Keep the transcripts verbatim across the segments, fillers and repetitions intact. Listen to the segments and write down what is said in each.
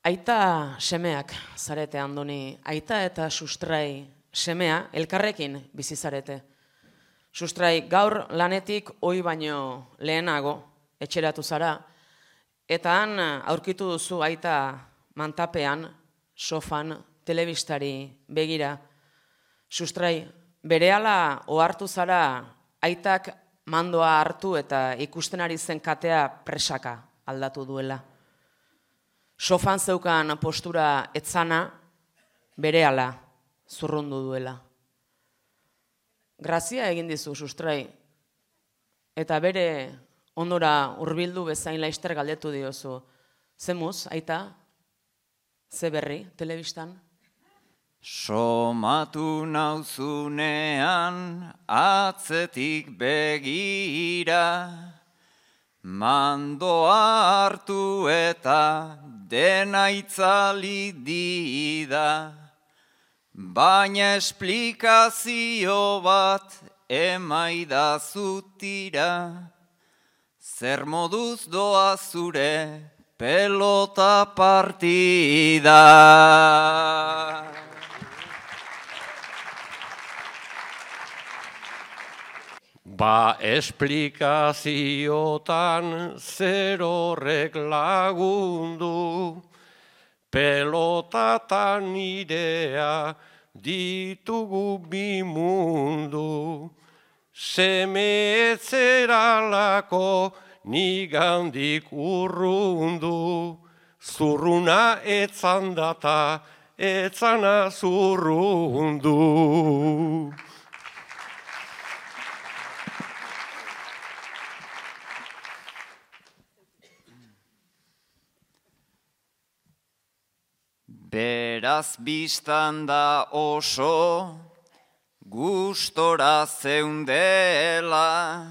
Aita semeak zarete Andoni, aita eta sustrai semea elkarrekin bizi zarete. Sustrai gaur lanetik ohi baino lehenago etxeratu zara, eta han aurkitu duzu aita mantapean, sofan, telebistari begira. Sustrai, berehala ohartu zara aitak mandoa hartu eta ikusten ari zen katea presaka aldatu duela. Sofan zeukan postura etzana berehala zurrundu duela. Grazia egin dizu, sustrai, eta bere ondora hurbildu bezain laister galdetu diozu. Zemuz, aita, ze berri, telebistan? Somatu nauzunean atzetik begira, mandoa hartu eta dena itzali dida, baina esplikazio bat emaidazutira, zer moduz doa zure pelota partida. Ba esplikaziotan zer horrek lagundu, pelotatan nirea ditugu bi mundu. Seme etzeralako nigandik urrundu, zurruna etzan data etzana zurrundu. Beraz biztan da oso gustora zeundela,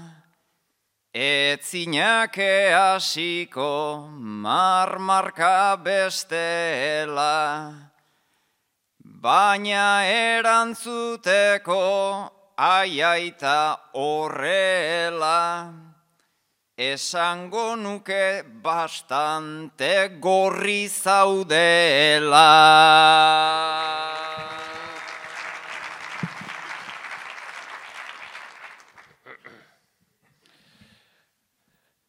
etzinake hasiko marmarka bestela, baina erantzuteko aiaita horrela, esango nuke bastante gorri zaudela.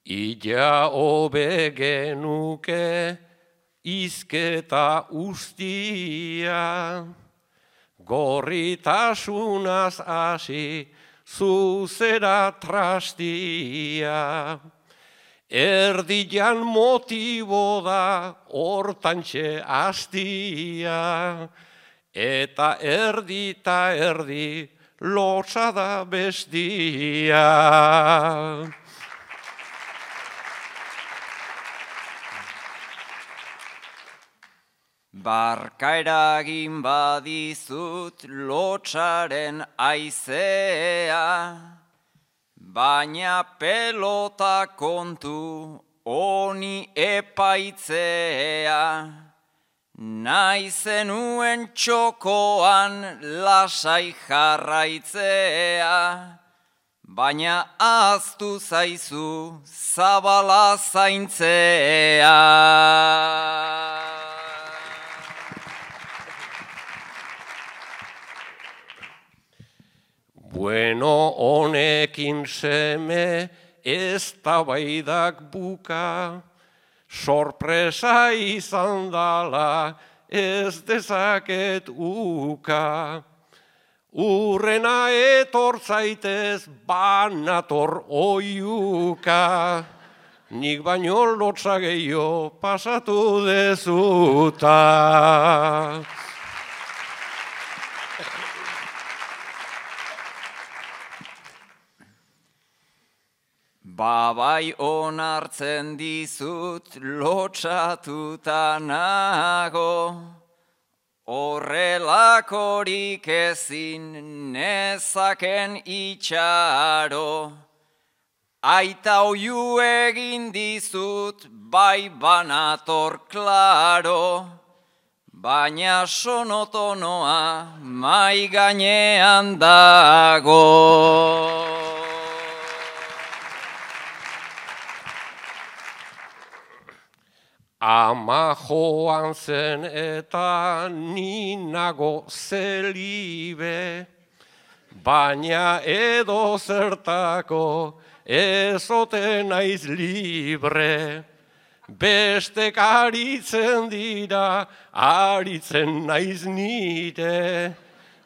Ila hobe genuke izketa ustia, gorritasunaz hasi zuzera trastia. Erdian motibo da hortantxe hastia, eta erdi ta erdi lotsa da bestia. Barka eragin badizut lotsaren aizea, baina pelota kontu honi epaitzea. Nahi zenuen txokoan lasai jarraitzea, baina ahaztu zaizu zabala zaintzea. Bueno, honekin seme eztabaidak buka, sorpresa izan dala ez dezaket uka. Urrena etor zaitez banator oiuka, nik baino lotsa gehiago pasatu dezuta. Babai onartzen dizut lotsatuta nago, horrelakorik ezin nezaken itxaro. Aita oiu egin dizut bai banator klaro, baina sonotonoa mai gainean dago. Ama joan zen eta ninago zelibe, baina edo zertako ezote naiz libre. Bestek aritzen dira, aritzen naiz nire,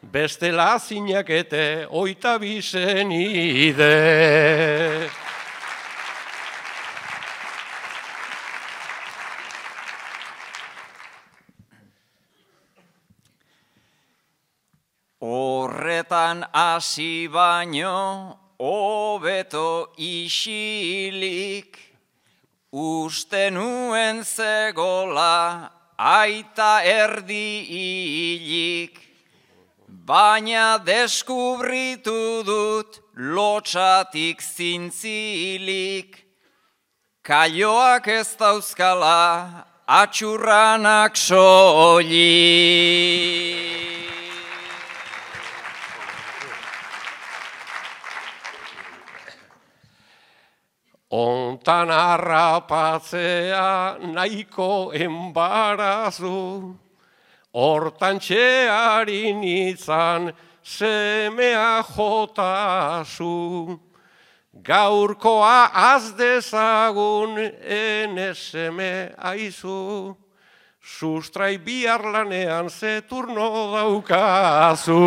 bestela zinakete oita bizenide. Horretan hasi baino, hobeto isilik, uste nuen zegola, aita erdi hilik, baina deskubritu dut lotxatik zintzilik, kaioak ez dauzkala, atxurranak soilik. Ontan harrapatzea nahiko enbarazu, hortan txearin izan semea jotazu. Gaurkoa az dezagun ene seme aizu, sustrai bihar lanean ze turno daukazu.